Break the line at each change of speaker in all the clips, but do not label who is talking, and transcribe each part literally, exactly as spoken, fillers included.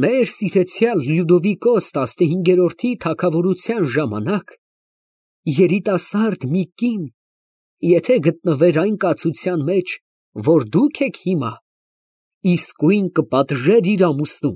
Մեր սիրեցյալ Լյուդովիկոս տասնհինգերորդի թագավորության ժամանակ երիտասարդ մի կին, եթե գտնվեր այն կացության մեջ, որ դուք եք հիմա, իսկույն կպատժեր իր ամուսնուն,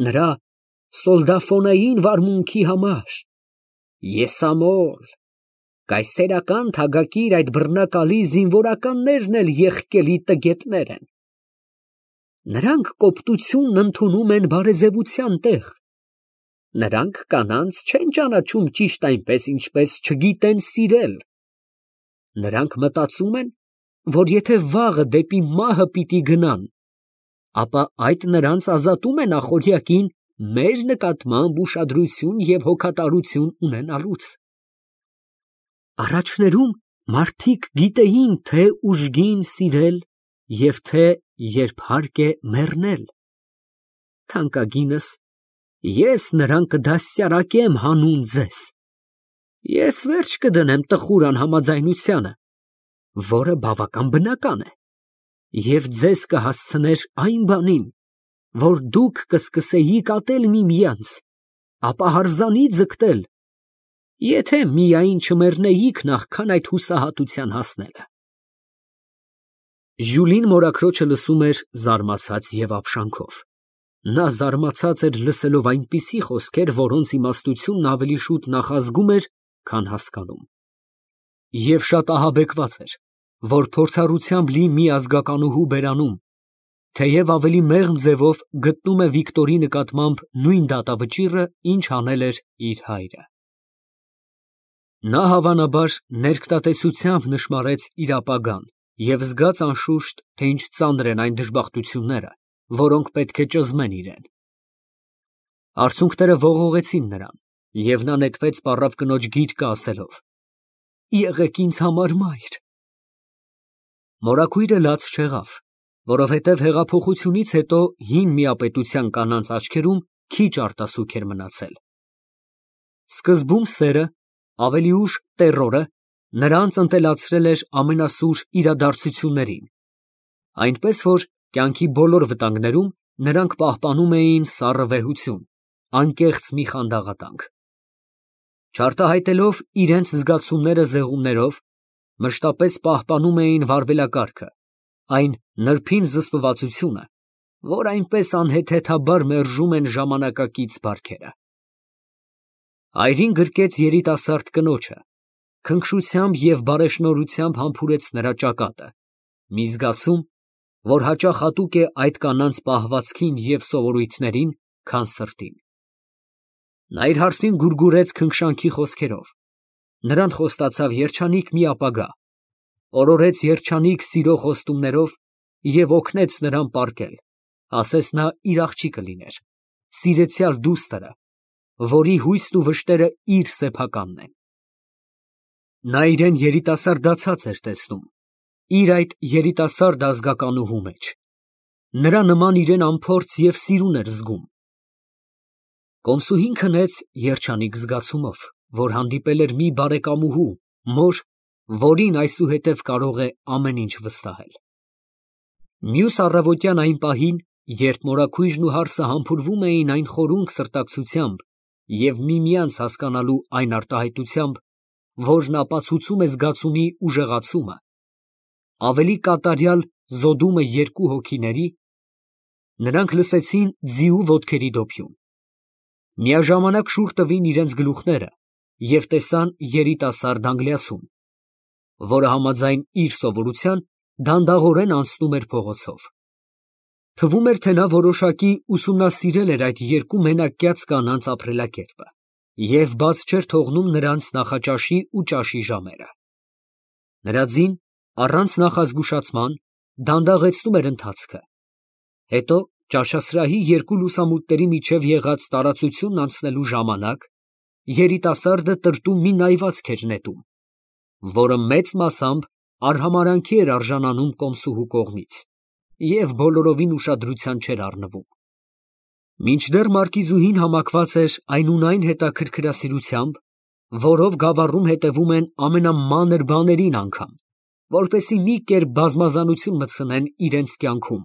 նրա սոլդաֆոնային վարմունքի համար, եսամոլ, կայսերական թագակիր այդ բռնակալի զինվորականներն էլ եղկելի տգետներ են։ Նրանք կոպտությունն ընդունում են բարեզևության տեղ, նրանք կանանց չեն ճանաչում ճիշտ այնպես, ինչպես չգիտեն սիրել, նրանք մտածում են, որ եթե վաղը դեպի մահը պիտի գնան, ապա այդ նրանց ազատում է նախօրյակին մեր նկատմամբ ուշադրություն և հոգատարություն ունենալուց։ Առաջներում մարդիկ գիտեին, թե ուժգին սիրել և թե երբ հարկ է մեռնել։ Թանկագինս, ես նրան կդաստիարակեմ հանուն ձեզ, ես վերջ կդնեմ տխուր անհամաձայնությանը, որը բավական բնական է, և ձեզ կհասցներ այն բանին, որ դուք կսկսեիք ատել միմյանց, ապա հարզանի ձգտել, եթե միայն չմեռնեիք նախքան այդ հուսահատության հասնելը։ Ժյուլին մորաքրոջը լսում էր զարմացած և ապշանքով. նա զարմացած էր լսելով այնպիսի խոսքեր, որոնց իմաստությունն ավելի շուտ նախազգում էր, քան հասկանում, և շատ ահաբեկված էր, որ փորձառությամբ լի մի ազգականուհու բերանում, թեև ավելի մեղմ ձևով գտնում է Վիկտորի նկատմամբ նույն դատավճիռը, ինչ անել էր իր հայրը։ Նա հավանաբար ներկտատեսությամբ նշմարեց իր ապագան և զգաց անշուշտ, թե ինչ ծանր են այն դժբախտությունները, որոնք պետք է ճզմեն իրեն։ Արցունքները ողողեցին նրան, և նա նետվեց պառավ կնոջ գիրկը, ասելով. «Եղեք ինձ համար մայր»։ Մորաքույրը լաց չեղավ, որովհետև հեղափոխությունից հետո հին միապետության կանանց աչքերում քիչ արտասուք էր մնացել։ Սկզբում սերը, ավելի ուշ տեռորը նրանց ընտելացրել էր ամենասուր իրադարձություններին, այնպես որ կյանքի բոլոր վտանգներում նրանք պահպանում էին սառը վեհություն, անկեղծ մի խանդաղատանք։ Չարտահայտելով իրենց զգացումները զեղումներով, մշտապես պահպանում էին վարվելակարգը, այն նրբին զսպվածությունը, որ այնպես անհեթեթաբար մերժում են ժամանակակից բարքերը։ Այրին գրկեց երիտասարդ կնոջը, քնքշությամբ և բարեշնորհությամբ համբուրեց նրա ճակատը, մի զգացում, որ հաճախ հատուկ է այդ կանանց պահվածքին և սովորույթներին, քան սրտին։ Նա իր հարսին գուրգուրեց քնքշանքի խոսքերով, նրան խոստացավ երջանիկ մի ապագա, օրորեց երջանիկ սիրո խոստումներով և օգնեց նրան պառկել, ասես նա իր աղջիկը լիներ, սիրեցյալ դուստրը, որի հույսն ու վշտերը իր սեփականն են։ Նա իրան երիտասարդացած էր տեսնում, իր այդ երիտասարդ ազգականուհու մեջ, նրա նման իրան անփորձ և սիրուն էր զգում։ Կոմսուհին քնեց երջանիկ զգացումով, որ հանդիպել էր մի բարեկամուհու, մոր, որին այսուհետև կարող է ամեն ինչ վստահել։ Մյուս առավոտյան այն պահին, երբ մորաքույրն ու հարսը համբուրվում էին այն խորունկ սրտակցությամբ և միմյանց հասկանալու այն արտահայտությամբ, որն ապացուցում է զգացումի ուժեղացումը, ավելի կատարյալ զոդումը երկու հոգիների, նրանք լսեցին ձիու ոտքերի դոփյուն։ Միաժամանակ շուռ տվին իրենց գլուխները և տեսան երիտասարդ անգլիացուն, որը համաձայն իր սովորության դանդաղորեն անցնում էր փողոցով։ Թվում էր, թե նա որոշակի ուսումնասիրել էր այդ երկու մենակյաց կանանց ապրելակերպը և բաց չէր թողնում նրանց նախաճաշի ու ճաշի ժամերը։ Նրա ձին, առանց նախազգուշացման, դանդաղեցնում էր ընթացքը, հետո ճաշասրահի երկու լուսամուտների միջև եղած տարածությունն անցնելու ժամանակ երիտասարդը տրտում մի նայվածք էր նետում, որը մեծ մասամբ արհամարհանքի էր արժանանում կոմսուհու կողմից և բոլորովին ուշադրության չէր առնվում։ Մինչդեռ մարկիզուհին համակված էր այնունայն հետաքրքրասիրությամբ, որով գավառում հետևում են ամենամանր բաներին անգամ, որպեսզի մի կերպ բազմազանություն մտցնեն իրենց կյանքում,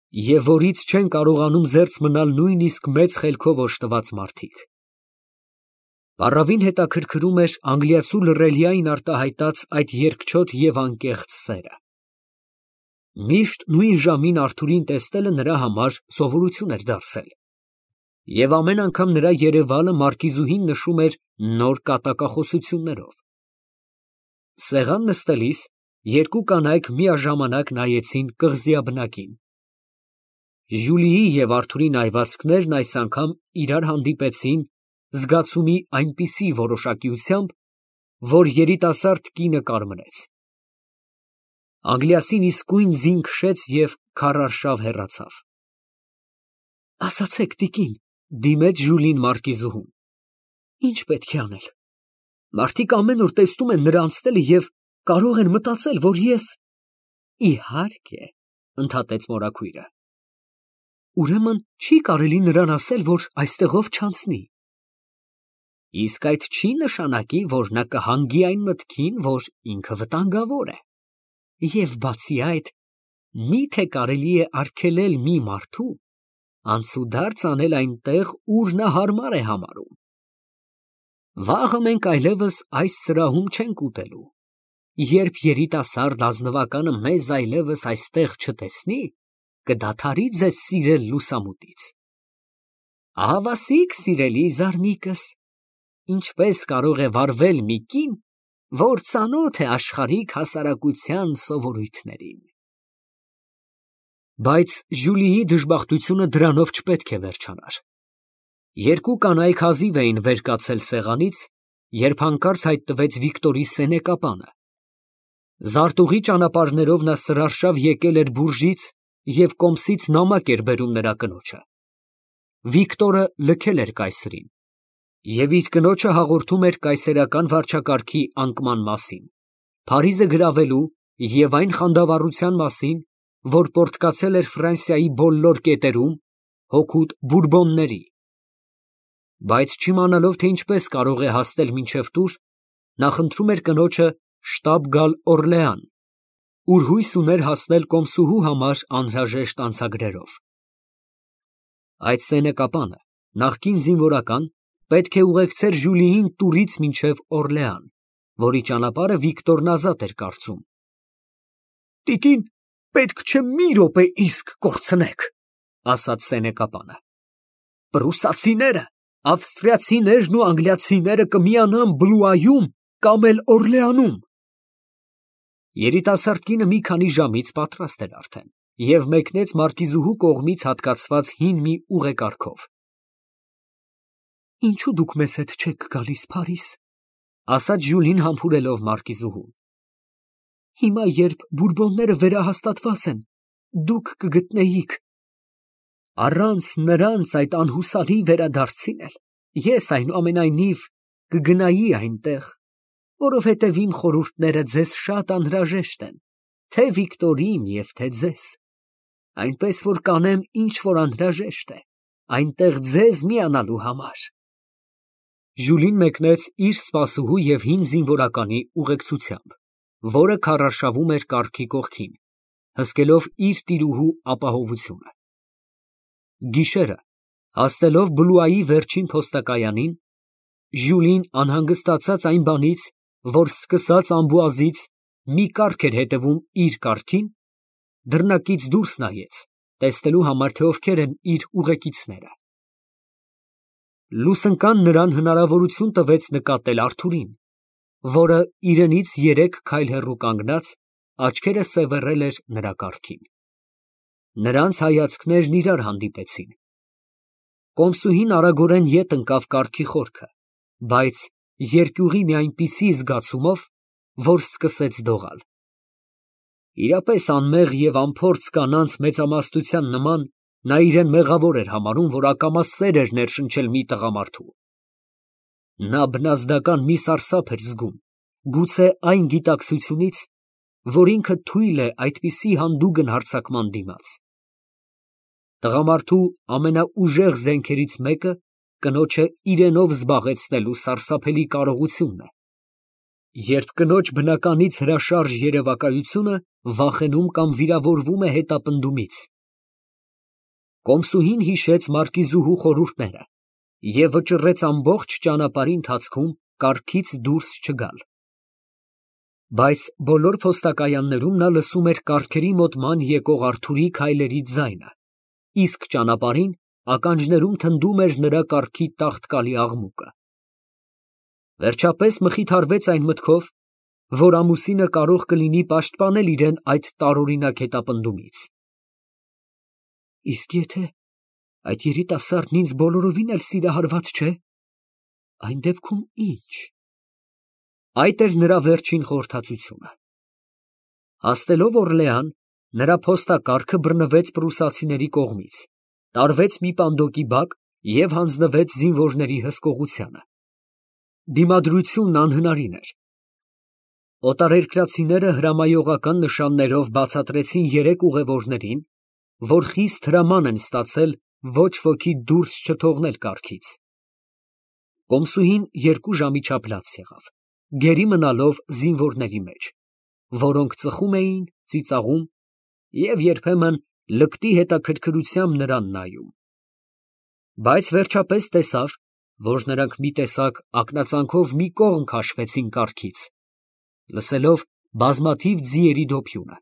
և որից չեն կարողանում զերծ մնալ նույնիսկ մեծ խելքով օժտված մարդիկ։ Պառավին հետաքրքրում էր անգլիացու լռելիային արտահայտած այդ երկչոտ և անկեղծ սերը։ Միշտ նույն ժամին Արթուրին տեսնելը նրա համար սովորություն էր դարձել, և ամեն անգամ նրա երևալը մարկիզուհին նշում էր նոր կատակախոսություններով։ Սեղան նստելիս երկու կանայք միաժամանակ նայեցին կղզիաբնակին։ Ժյուլիի և Արթուրի նայվածքներն այս անգամ իրար հանդիպեցին զգացումի այնպիսի որոշակիությամբ, որ երիտասարդ կինը կարմրեց։ Անգլիասին իսկույն ձին քշեց և քարարշավ հեռացավ։ Ասացեք, տիկին, դիմեց Ժուլին մարկիզուհուն, ի՞նչ պետք է անել։ Մարդիկ ամեն օր տեսնում են նրա անցնելը և կարող են մտածել, որ ես… Իհարկե, ընդհատեց մորաքույրը։ Ուրեմն չի կարելի նրան ասել, որ այստեղով չանցնի։ Իսկ այդ չի նշանակի, որ նա կհանգի այն մտքին, որ ինքը վտանգավոր է։ Եվ բացի այդ, մի՞թե կարելի է արգելել մի մարդու անցուդարձ անել այնտեղ, ուր նա հարմար է համարում։ Վաղը մենք այլևս այս սրահում չենք ուտելու։ Երբ երիտասարդ ազնվականը մեզ այլևս այստեղ չտեսնի, կդադարի ձեզ սիրել լուսամուտից։ Ահավասիկ, սիրելի զարմիկս, ինչպես կարող է վարվել մի կին, որ ծանոթ է աշխարհիկ հասարակության սովորույթներին։ Բայց Ժյուլիի դժբախտությունը դրանով չպետք է վերջանար։ Երկու կանայք հազիվ էին վեր կացել սեղանից, երբ հանկարծ հայտնվեց Վիկտորի սենեկապանը։ Զարտուղի ճանապարհներով նա սրարշավ եկել էր բուրժից և կոմսից նամակ էր բերում նրա կնոջը։ Վիկտորը լքել էր կայսրին և իր կնոջը հաղորդում էր կայսերական վարչակարգի անկման մասին, Փարիզը գրավելու և այն խանդավառության մասին, որ պոռթկացել էր Ֆրանսիայի բոլոր կետերում, հօգուտ Բուրբոնների։ Բայց չիմանալով, թե ինչպես կարող է հասնել մինչև տուր, նա խնդրում էր կնոջը շտապ գալ Օռլեան, ուր հույս ուներ հասնել կոմսուհու համար անհրաժեշտ անցագրերով։ Այդ սենեկապանը, նախկին զինվորական, պետք է ուղեկցեր Ժյուլիին տուրից մինչև Օռլեան, որի ճանապարհը Վիկտորն ազատ էր կարծում։ Տիկին, պետք չէ մի րոպե իսկ կորցնեք, ասաց սենեկապանը։ Պրուսացիները, ավստրիացիներն ու անգլիացիները կմիանան Բլուայում կամ էլ Օռլեանում։ Երիտասարդ կինը մի քանի ժամից պատրաստ էր արդեն և մեկնեց մարկիզուհու կողմից հատկացված հին մի ուղեկարգով։ Ինչո՞ւ դուք մեզ հետ չեք գալիս Փարիզ, ասաց Ժյուլին համբուրելով մարկիզուհուն։ Հիմա, երբ Բուրբոնները վերահաստատված են, դուք կգտնեիք… Առանց նրանց այդ անհուսալի վերադարձին էլ ես այնուամենայնիվ կգնայի այնտեղ, որովհետև իմ խորհուրդները ձեզ շատ անհրաժեշտ են, թե Վիկտորին և թե ձեզ, այնպես որ կանեմ, ինչ որ անհրաժեշտ է, այնտեղ ձեզ միանալու համար։ Ժյուլին մեկնեց իր սպասուհու և հին զինվորականի ուղեկցությամբ, որը քարարշավում էր կառքի կողքին, հսկելով իր տիրուհու ապահովությունը։ Գիշերը, հասնելով Բլուայի վերջին փոստակայանին, Ժյուլին անհանգստացած այն բանից, որ սկսած Ամբուազից մի կառք էր հետևում իր կառքին, դռնակից դուրս նայեց, տեսնելու համար, թե ովքեր են իր ուղեկիցները։ Լուսընկան նրան հնարավորություն տվեց նկատել Արթուրին, որը իրենից երեք քայլ հեռու կանգնած, աչքերը սևեռել էր նրա կառքին։ Նրանց հայացքներն իրար հանդիպեցին։ Կոմսուհին արագորեն ետ ընկավ կառքի խորքը, բայց երկյուղի մի այնպիսի զգացումով, որ սկսեց դողալ։ Իրապես անմեղ և անփորձ կանանց մեծամասնության նման, նա իրեն մեղավոր էր համարում, որ ակամա սեր էր ներշնչել մի տղամարդու։ Նա բնազդական մի սարսափ էր զգում, գուցե այն գիտակցությունից, որ ինքը թույլ է այդպիսի հանդուգն հարձակման դիմաց։ Տղամարդու ամենաուժեղ զենքերից մեկը կնոջը իրենով զբաղեցնելու սարսափելի կարողությունն է։ Երբ կնոջ բնականից հրաշարժ երևակայությունը վախենում կամ վիրավորվում է հետապնդումից, Կոմսուհին հիշեց մարկիզուհու խորհուրդները և վճռեց ամբողջ ճանապարհի ընթացքում կառքից դուրս չգալ։ Բայց բոլոր փոստակայաններում նա լսում էր կառքերի մոտ ման եկող Արթուրի քայլերի ձայնը, իսկ ճանապարհին ականջներում թնդում էր նրա կառքի տաղտկալի աղմուկը։ Վերջապես մխիթարվեց այն մտքով, որ ամուսինը կարող կլինի պաշտպանել իրեն այդ տարօրինակ հետապնդումից։ Իսկ եթե այդ երիտասարդն ինձ բոլորովին էլ սիրահարված չէ, այն դեպքում ի՞նչ։ Այդ էր նրա վերջին խորհրդածությունը։ Հասնելով Օրլեան, նրա փոստակառքը բռնվեց պրուսացիների կողմից, տարվեց մի պանդոկի բակ և հանձնվեց զինվորների հսկողությանը։ Դիմադրությունն անհնարին էր։ Օտարերկրացիները հրամայողական նշաններով բացատրեցին երեք ուղևորներին, որ խիստ հրաման են ստացել ոչ ոքի դուրս չթողնել կառքից։ Կոմսուհին երկու ժամի չափ լաց եղավ, գերի մնալով զինվորների մեջ, որոնք ծխում էին, ծիծաղում և երբեմն լկտի հետաքրքրությամբ նրան նայում։ Բայց վերջապես տեսավ, որ նրանք մի տեսակ ակնածանքով մի կողմ քաշվեցին կառքից, լսելով բազմաթիվ ձիերի դոփյունը։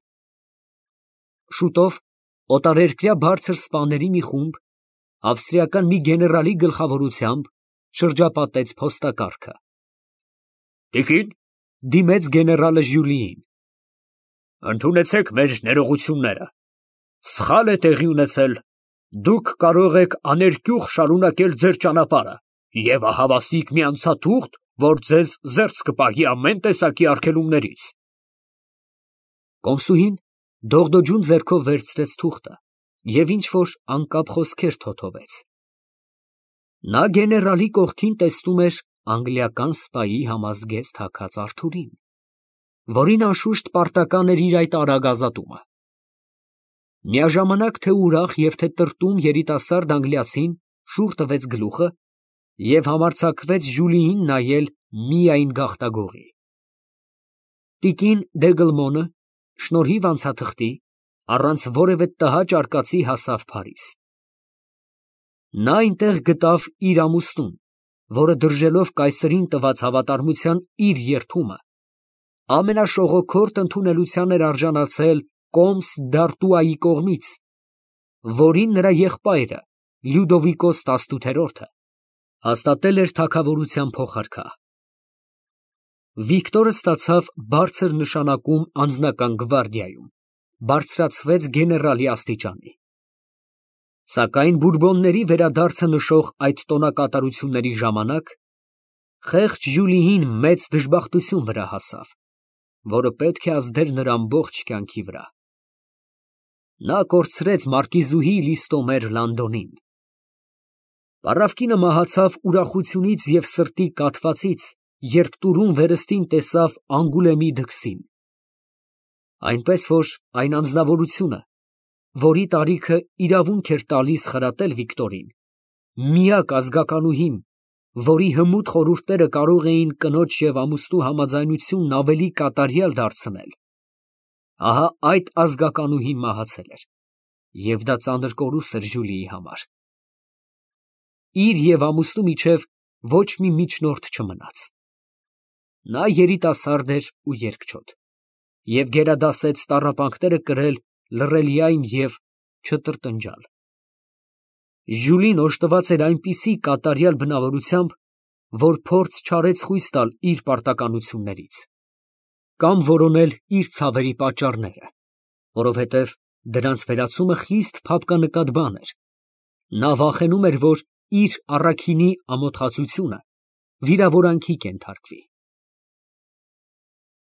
Շուտով օտարերկրյա բարձր սպաների մի խումբ, ավստրիական մի գեներալի գլխավորությամբ, շրջապատեց փոստակառքը։ Տիկին, դիմեց գեներալը Ժյուլիին, ընդունեցեք մեր ներողությունները, սխալ է տեղի ունեցել, դուք կարող եք աներկյուղ շարունակել ձեր ճանապարհը և ահավասիկ մի անցաթուղթ, որ ձեզ զերծ կպահի ամեն տեսակի արգելումներից։ Կոմսուհին դողդոջուն ձեռքով վերցրեց թուղթը և ինչ֊որ անկապ խոսքեր թոթվեց։ Նա գեներալի կողքին տեսնում էր անգլիական սպայի համազգեստ հագած Արթուրին, որին անշուշտ պարտական էր իր այդ արագ ազատումը։ Միաժամանակ թե ուրախ և թե տրտում երիտասարդ անգլիացին շուռ տվեց գլուխը և համարձակվեց Ժյուլիին նայել միայն գաղտագողի։ Տիկին Դեգլմոնը, շնորհիվ անցաթղթի, առանց որևէ տհաճ արկածի հասավ Փարիզ։ Նա այնտեղ գտավ իր ամուսնուն, որը դրժելով կայսրին տված հավատարմության իր երդումը, ամենաշողոքորթ ընդունելության էր արժանացել կոմս Դ'Արտուայի կողմից, որին նրա եղբայրը Լյուդովիկոս տասնութերորդը հաստատել էր թագավորության փոխարքա։ Վիկտորը ստացավ բարձր նշանակում անձնական գվարդիայում, բարձրացվեց գեներալի աստիճանի։ Սակայն Բուրբոնների վերադարձը նշող այդ տոնակատարությունների ժամանակ խեղճ Ժյուլիին մեծ դժբախտություն վրա հասավ, որը պետք է ազդեր նրա ամբողջ կյանքի վրա։ Նա կորցրեց մարկիզուհի Լիստոմեր Լանդոնին։ Պառավկինը մահացավ ուրախությունից և սրտի կաթվածից, երբ տուրում վերստին տեսավ Անգուլեմի դքսին։ Այնպես որ այն անձնավորությունը, որի տարիքը իրավունք էր տալիս խրատել Վիկտորին, միակ ազգականուհին, որի հմուտ խորհուրդները կարող էին կնոջ և ամուսնու համաձայնությունն ավելի կատարյալ դարձնել, ահա այդ ազգականուհին մահացել էր, և դա ծանր կորուստ էր Ժյուլիի համար։ Իր և ամուսնու միջև ոչ մի միջնորդ չմնաց։ Նա երիտասարդ էր ու երկչոտ և գերադասեց տառապանքները կրել լռելիայն և չտրտնջալ։ Ժյուլին օժտված էր այնպիսի կատարյալ բնավորությամբ, որ փորձ չարեց խույս տալ իր պարտականություններից կամ որոնել իր ցավերի պատճառները, որովհետև դրանց վերացումը խիստ փափկանկատ բան էր։ Նա վախենում էր, որ իր առաքինի ամոթխածությունը վիրավորանքի կենթարկվի։